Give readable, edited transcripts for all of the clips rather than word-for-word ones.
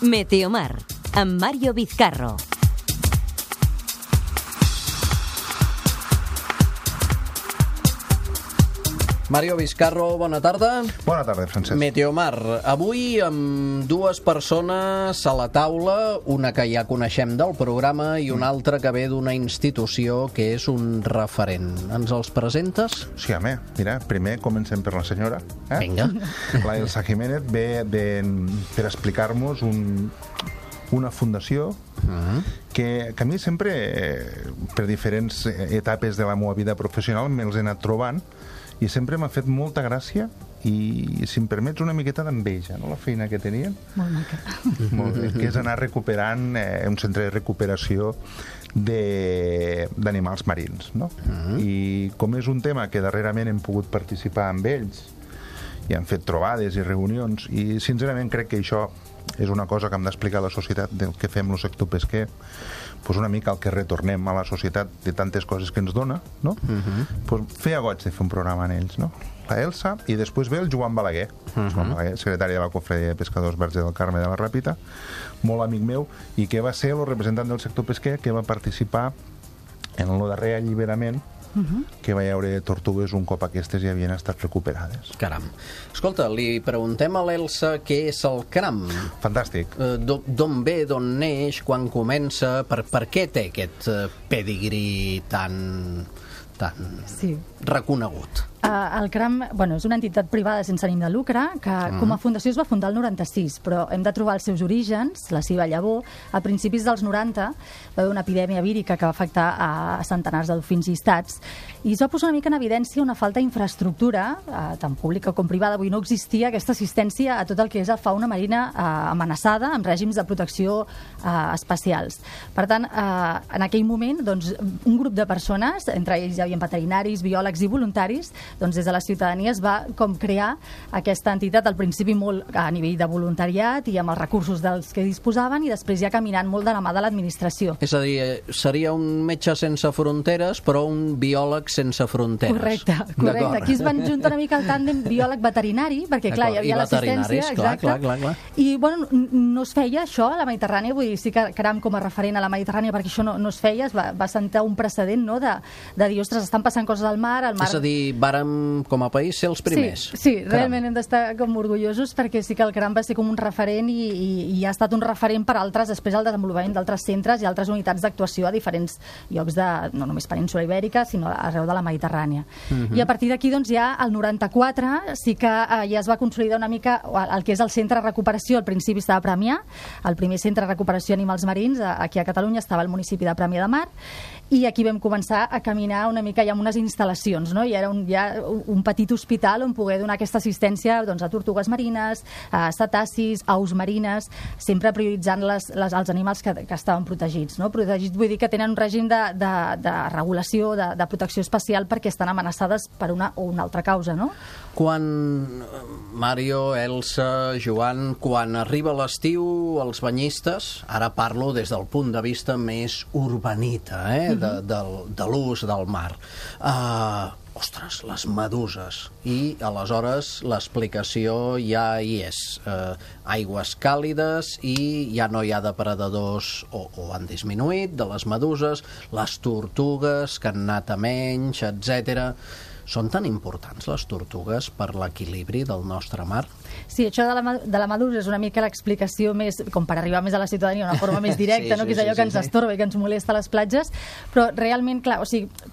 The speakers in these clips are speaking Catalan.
Meteomar, amb Mario Vizcarro. Mario Vizcarro, bona tarda. Bona tarda, Francesc. Meteomar, avui amb dues persones a la taula, una que ja coneixem del programa i una altra que ve d'una institució que és un referent. Ens els presentes? Sí, home, mira, primer comencem per la senyora. Vinga. La Elsa Jiménez ve per explicar-nos una fundació que a mi sempre, per diferents etapes de la meva vida professional, me'ls he anat trobant i sempre m'ha fet molta gràcia i, si em permets, una miqueta d'enveja, no?, la feina que tenien. Molt maca. Molt bé, que és anar recuperant un centre de recuperació d'animals marins, no? I com és un tema que darrerament hem pogut participar amb ells i han fet trobades i reunions, i sincerament crec que això és una cosa que hem d'explicar a la societat del que fem el sector pesquer, pues una mica el que retornem a la societat de tantes coses que ens dona, no? Pues feia goig de fer un programa en ells, no? La Elsa, i després ve el Joan Balaguer, Joan Balaguer, secretari de la Confraria de Pescadors Verge del Carme de la Ràpita, molt amic meu, i que va ser el representant del sector pesquer que va participar en el darrer alliberament que va haure tortugues un cop aquestes ja havien estat recuperades. Caram. Escolta, li preguntem a l'Elsa què és el cram. Fantàstic. D'on ve, d'on neix, quan comença, per què té aquest pedigrí tan reconegut? El CRAM, és una entitat privada sense ànim de lucre que com a fundació es va fundar el 96, però hem de trobar els seus orígens, la seva llavor. A principis dels 90 va haver una epidèmia vírica que va afectar a centenars de dofins llistats i es va posar una mica en evidència una falta d'infraestructura, tant pública com privada. Avui no existia aquesta assistència a tot el que és la fauna marina amenaçada amb règims de protecció especials. Per tant, en aquell moment, un grup de persones, entre ells hi havia veterinaris, biòlegs i voluntaris, des de la ciutadania es va crear aquesta entitat, al principi molt a nivell de voluntariat i amb els recursos dels que disposaven, i després ja caminant molt de la mà de l'administració. És a dir, seria un metge sense fronteres, però un biòleg sense fronteres. Correcte. Aquí es van juntar una mica el tàndem biòleg-veterinari, perquè clar, hi havia l'assistència. Clar. I no es feia això a la Mediterrània, vull dir, sí que CRAM com a referent a la Mediterrània, perquè això no es feia, va sentar un precedent, no?, de dir, ostres, estan passant coses al mar. És a dir, vàrem com a país ser els primers. Sí, realment hem d'estar com orgullosos, perquè sí que el CRAM va ser com un referent i ha estat un referent per altres, després el desenvolupament d'altres centres i altres unitats d'actuació a diferents llocs no només península Ibèrica, sinó arreu de la Mediterrània. I a partir d'aquí, ja al 94 sí que ja es va consolidar una mica el que és el centre de recuperació. Al principi estava a Premià, el primer centre de recuperació d'animals marins aquí a Catalunya estava al municipi de Premià de Mar, i aquí vam començar a caminar una mica ja amb unes instal·lacions, no? I era un petit hospital on poder donar aquesta assistència a tortugues marines, a cetacis, aus marines, sempre prioritzant els animals que estaven protegits, no? Protegits vull dir que tenen un règim de regulació, de protecció especial, perquè estan amenaçades per una o una altra causa, no? Mario, Elsa, Joan, quan arriba l'estiu, els banyistes, ara parlo des del punt de vista més urbanita, de l'ús del mar, ostres, les meduses, i aleshores l'explicació ja hi és, aigües càlides i ja no hi ha depredadors o han disminuït de les meduses, les tortugues que han anat a menys, etc. Són tan importants les tortugues per l'equilibri del nostre mar? Sí, això de la medusa és una mica l'explicació més, com per arribar més a la ciutadania, una forma més directa, que és allò que ens estorba i que ens molesta a les platges, però realment, clar,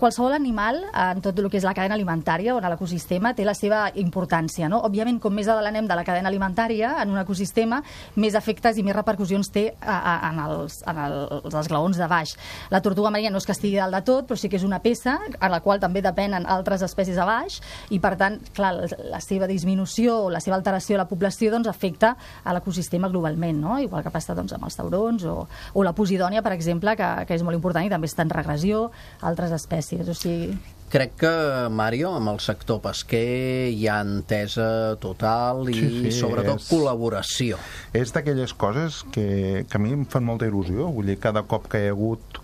qualsevol animal en tot el que és la cadena alimentària o en l'ecosistema té la seva importància, no? Òbviament, com més a dalt anem de la cadena alimentària en un ecosistema, més efectes i més repercussions té en els esglaons de baix. La tortuga marina no és que estigui dalt de tot, però sí que és una peça a la qual també depenen altres espècies a baix, i per tant, clar, la seva disminució o la seva alteració a la població afecta a l'ecosistema globalment, no? Igual que passa amb els taurons o la posidònia, per exemple, que és molt important i també està en regressió, altres espècies. Crec que, Mario, amb el sector pesquer hi ha entesa total i sobretot col·laboració. És d'aquelles coses que a mi em fan molta il·lusió. Vull dir, cada cop que hi ha hagut,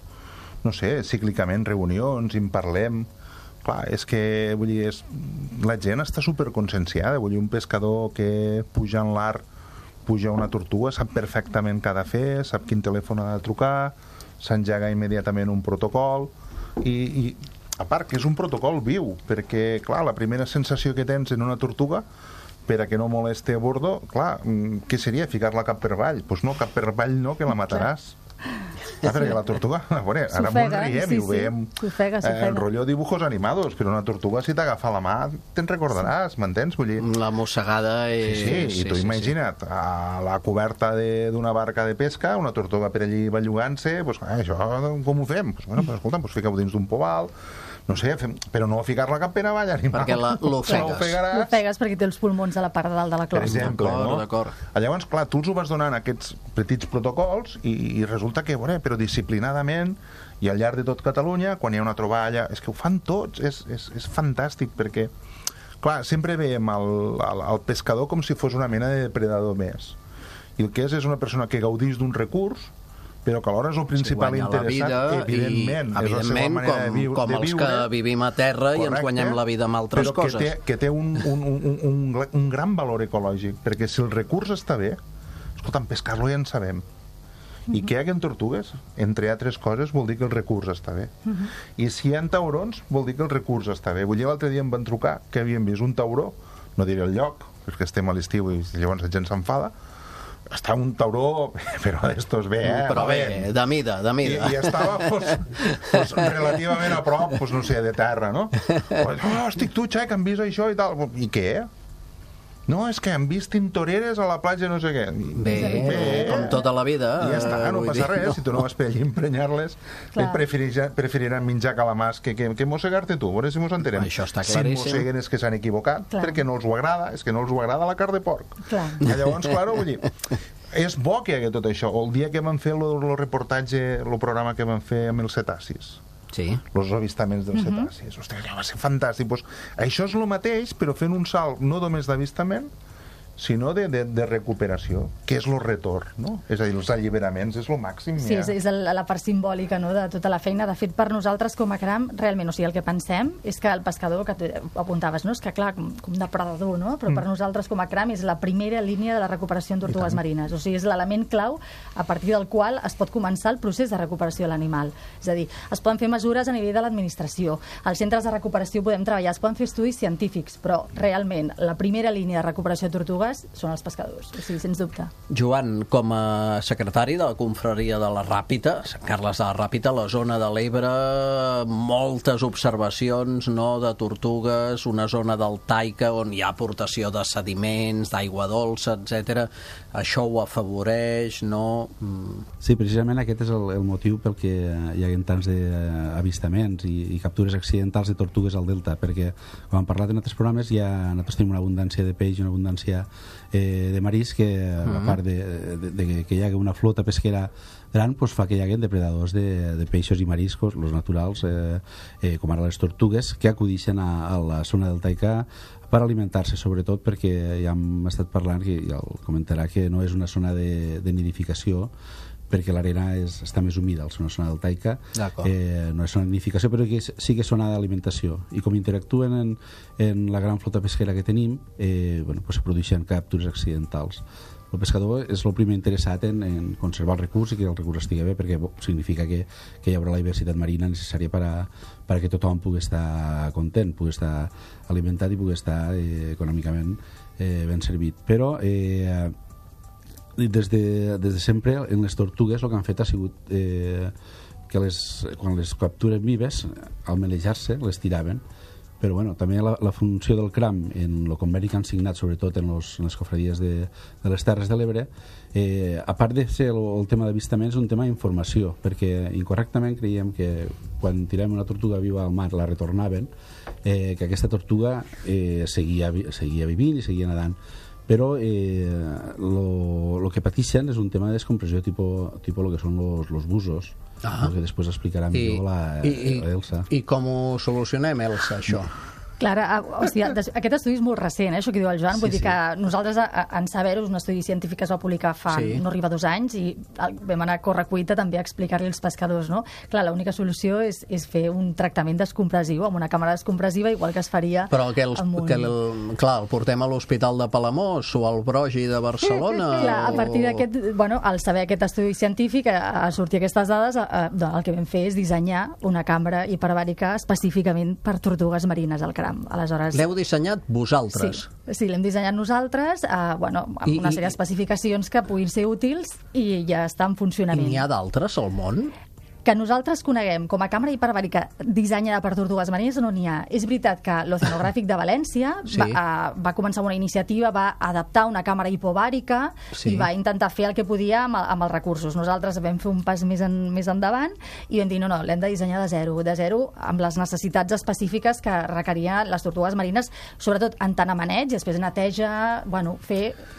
no sé, cíclicament reunions i en parlem, clar, és que vull dir, la gent està superconscienciada. Vull dir, un pescador que puja en l'art puja una tortuga, sap perfectament què ha de fer, sap quin telèfon ha de trucar, s'engega immediatament un protocol, i a part que és un protocol viu, perquè, clar, la primera sensació que tens en una tortuga, per a que no moleste a bordo, clar, què seria? Ficar-la cap per avall? Doncs no, cap per avall no, que la mataràs. Perquè la tortuga, ara ens riem i ho veiem el rotllo dibujos animados, però una tortuga si t'agafa la mà te'n recordaràs, m'entens? Vull dir, la mossegada és... Sí, i tu imagina't a la coberta d'una barca de pesca, una tortuga per allí bellugant-se, doncs això com ho fem? Escolta, fica-ho dins d'un poval, no sé, però no ficar-la cap per avall animal. Perquè l'ofegues. L'ofegues perquè té els pulmons a la part de dalt de la closca. Per exemple, no? D'acord. Llavors, clar, tu els ho vas donant aquests petits protocols i resulta que, però disciplinadament i al llarg de tot Catalunya, quan hi ha una troballa, és que ho fan tots, és fantàstic, perquè, clar, sempre veiem el pescador com si fos una mena de depredador més. I el que és una persona que gaudís d'un recurs, però que alhora és el principal interessat, evidentment, és la seva manera de viure. Com els que vivim a terra i ens guanyem la vida amb altres coses. Però que té un gran valor ecològic, perquè si el recurs està bé, escolta, pescar-lo ja en sabem. I que hi haguen tortugues, entre altres coses, vol dir que el recurs està bé. I si hi ha taurons, vol dir que el recurs està bé. Vull dir, l'altre dia em van trucar que havien vist un tauró, no diré el lloc, perquè estem a l'estiu i llavors la gent s'enfada, està un tauró, però d'estos bé, Però bé, de mida. I estava, pues, relativament a prop, pues, no sé, de terra, no? Estic tu, xec, han vist això i tal. I què? No, és que han vist tintoreres a la platja no sé què. Bé, com tota la vida. I ja està, no passa res. Si tu no vas per allí emprenyar-les, preferiran menjar calamars que mossegar-te tu. A veure si mos entenem. Això està claríssim. Si mosseguen és que s'han equivocat, perquè no els ho agrada, és que no els ho agrada la carn de porc. Llavors, clar, vull dir, és bo que hi hagi tot això. El dia que vam fer el reportatge, el programa que vam fer amb els cetacis, els avistaments dels cetacis, ostres, va ser fantàstic. Pues, això és el mateix, però fent un salt no només d'avistament, sinó de recuperació, que és el retorn, no? És a dir, els alliberaments és el màxim. Sí, és la part simbòlica, no?, de tota la feina. De fet, per nosaltres, com a CRAM, realment, o sigui, el que pensem és que el pescador, que tu apuntaves, no?, és que, clar, com depredador, no?, però per nosaltres, com a CRAM, és la primera línia de la recuperació en tortugues marines. O sigui, és l'element clau a partir del qual es pot començar el procés de recuperació de l'animal. És a dir, es poden fer mesures a nivell de l'administració, als centres de recuperació podem treballar, es poden fer estudis científics, però, realment, la primera línia de recuperació de tortugues són els pescadors, o sigui, sens dubte. Joan, com a secretari de la confraria de la Ràpita, Sant Carles de la Ràpita, la zona de l'Ebre, moltes observacions, no?, de tortugues, una zona del Taica on hi ha aportació de sediments, d'aigua dolça, etc. Això ho afavoreix, no? Sí, precisament aquest és el motiu pel que hi ha tants avistaments i captures accidentals de tortugues al delta, perquè, com hem parlat en altres programes, nosaltres tenim una abundància de peix i una abundància de marisc que, a part de que hi hagi una flota pesquera gran, pues fa que hi hagi depredadors de peixos i mariscos, els naturals, com ara les tortugues, que acudixen a la zona del Taica per alimentar-se, sobretot perquè ja hem estat parlant, que ja el comentarà, que no és una zona de nidificació, perquè l'arena està més humida, és una zona del Taica, no és zona de nidificació, però que sí que és zona d'alimentació. I com interactuen en la gran flota pesquera que tenim, pues se produeixen captures accidentals. El pescador és el primer interessat en conservar el recurs i que el recurs estigui bé, perquè significa que hi haurà la diversitat marina necessària per a que tothom pugui estar content, pugui estar alimentat i pugui estar econòmicament ben servit. Però des de sempre en les tortugues el que han fet ha sigut que quan les capturen vives, al melejar-se, les tiraven. Però bueno, també la funció del CRAM en el conveni que han signat, sobretot en les cofradies de les Terres de l'Ebre, a part de ser el tema d'avistament, és un tema d'informació, perquè incorrectament creiem que quan tirem una tortuga viva al mar la retornaven, que aquesta tortuga seguia vivint i seguia nedant. Però el que pateixen és un tema de descompressió tipus el que són els busos, que després explicarà millor l'Elsa. I com ho solucionem, Elsa, això? Clar, o sigui, aquest estudi és molt recent, això que diu el Joan, vull dir que nosaltres en saber-ho, un estudi científic es va publicar fa no arriba 2 anys i vam anar a correcuita també a explicar-li als pescadors, no? Clar, l'única solució és fer un tractament descompressiu amb una càmera descompressiva, igual que es faria però que clar, el portem a l'Hospital de Palamós o al Brogi de Barcelona clar, a partir d'aquest, bueno, al saber aquest estudi científic, a sortir aquestes dades, el que vam fer és dissenyar una càmera hiperbàrica específicament per tortugues marines al cram. Aleshores, l'heu dissenyat vosaltres? Sí, l'hem dissenyat nosaltres, amb una sèrie d'especificacions que puguin ser útils i ja està en funcionament. I n'hi ha d'altres al món? Que nosaltres coneguem com a càmera hiperbàrica dissenyada per tortugues marines no n'hi ha. És veritat que l'Oceanogràfic de València va començar una iniciativa, va adaptar una càmera hipobàrica i va intentar fer el que podia amb els recursos. Nosaltres vam fer un pas més endavant i vam dir, no, l'hem de dissenyar de zero, amb les necessitats específiques que requerien les tortugues marines, sobretot en tant a maneig, després neteja,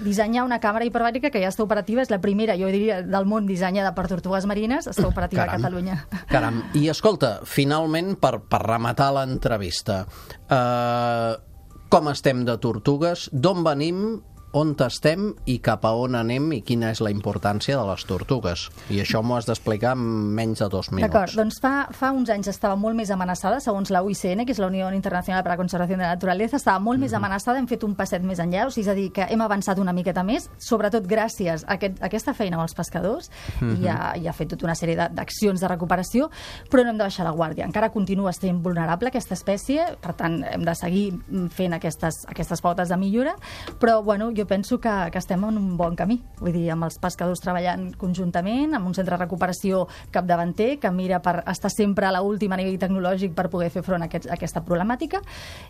dissenyar una càmera hiperbàrica que ja està operativa, és la primera, jo diria, del món dissenyada per tortugues marines, està operativa a Catalunya. Caram, i escolta, finalment, per rematar l'entrevista, com estem de tortugues, d'on venim, on estem i cap a on anem i quina és la importància de les tortugues. I això m'ho has d'explicar en menys de 2 minuts. D'acord, doncs fa uns anys estava molt més amenaçada, segons la UICN, que és la Unió Internacional per a la Conservació de la Naturalesa, estava molt més amenaçada, hem fet un passet més enllà, o sigui, és a dir, que hem avançat una miqueta més, sobretot gràcies a aquesta feina amb els pescadors, i ha fet tota una sèrie d'accions de recuperació, però no hem de baixar la guàrdia. Encara continua sent vulnerable aquesta espècie, per tant, hem de seguir fent aquestes pautes de millora, però, jo penso que estem en un bon camí. Vull dir, amb els pescadors treballant conjuntament, amb un centre de recuperació capdavanter que mira per estar sempre a l'última nivell tecnològic per poder fer front a aquesta problemàtica.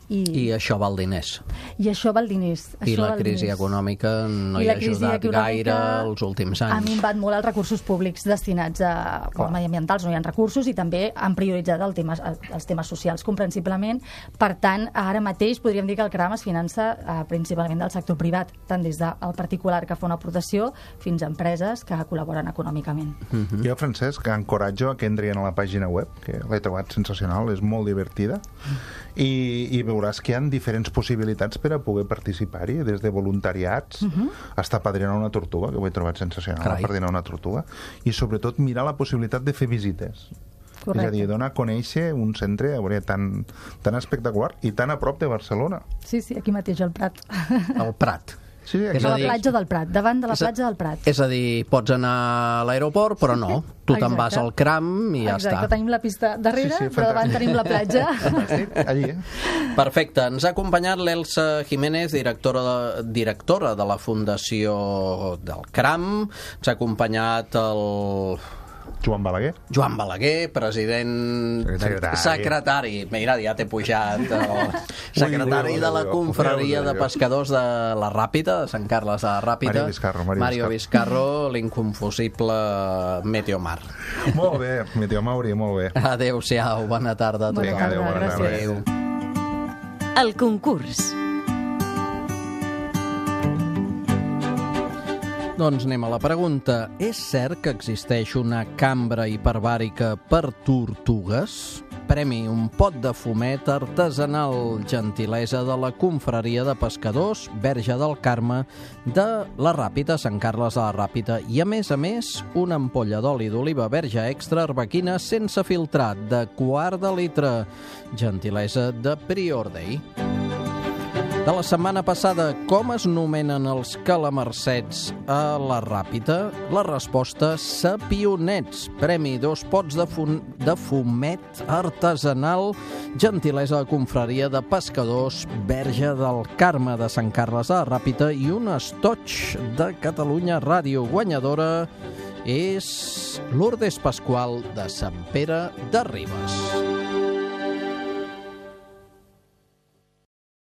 I això val diners. I això val diners. I la crisi econòmica no hi ha ajudat gaire els últims anys. Ha minvat molt els recursos públics destinats a mediambientals, no hi ha recursos, i també han prioritzat els temes socials, comprensiblement. Per tant, ara mateix podríem dir que el CRAM es finança principalment del sector privat, tant des del particular que fa una aportació fins a empreses que col·laboren econòmicament. Jo, Francesc, encoratjo a que entrin a la pàgina web, que l'he trobat sensacional, és molt divertida, i veuràs que hi ha diferents possibilitats per a poder participar-hi, des de voluntariats fins a padrinar una tortuga, que ho he trobat sensacional, padrinar una tortuga, i sobretot mirar la possibilitat de fer visites. Correcte. És a dir, donar a conèixer un centre tan espectacular i tan a prop de Barcelona. Sí, aquí mateix, al Prat. Al Prat. Sí, és a la platja del Prat, davant de la platja del Prat. És a dir, pots anar a l'aeroport, però no. Tu te'n vas al CRAM i ja està. Exacte, tenim la pista darrere, però davant tenim la platja. Allí. Perfecte. Ens ha acompanyat l'Elsa Jiménez, directora de la Fundació del CRAM. Ens ha acompanyat el Joan Balaguer. Joan Balaguer, president... Secretari. Mira, ja t'he pujat. Secretari de la Confraria de Pescadors de la Ràpita, de Sant Carles de la Ràpita. Mario Vizcarro, l'inconfusible Meteomar. Molt bé, Meteomauri, molt bé. Adéu-siau, bona tarda a tothom. Vinga, adéu, bona tarda. Adéu. El concurs. Doncs anem a la pregunta. És cert que existeix una cambra hiperbàrica per tortugues? Premi un pot de fumet artesanal, gentilesa de la Confraria de Pescadors Verge del Carme de la Ràpita, Sant Carles de la Ràpita, i a més, una ampolla d'oli d'oliva verge extra arbequina sense filtrat de 1/4 litre, gentilesa de Prior Day. De la setmana passada, com es nomenen els calamarsets a la Ràpita? La resposta, sapionets. Premi 2 pots de fumet artesanal, gentilesa de Confraria de Pescadors Verge del Carme de Sant Carles de la Ràpita i un estoig de Catalunya Ràdio. Guanyadora és Lourdes Pasqual de Sant Pere de Ribes.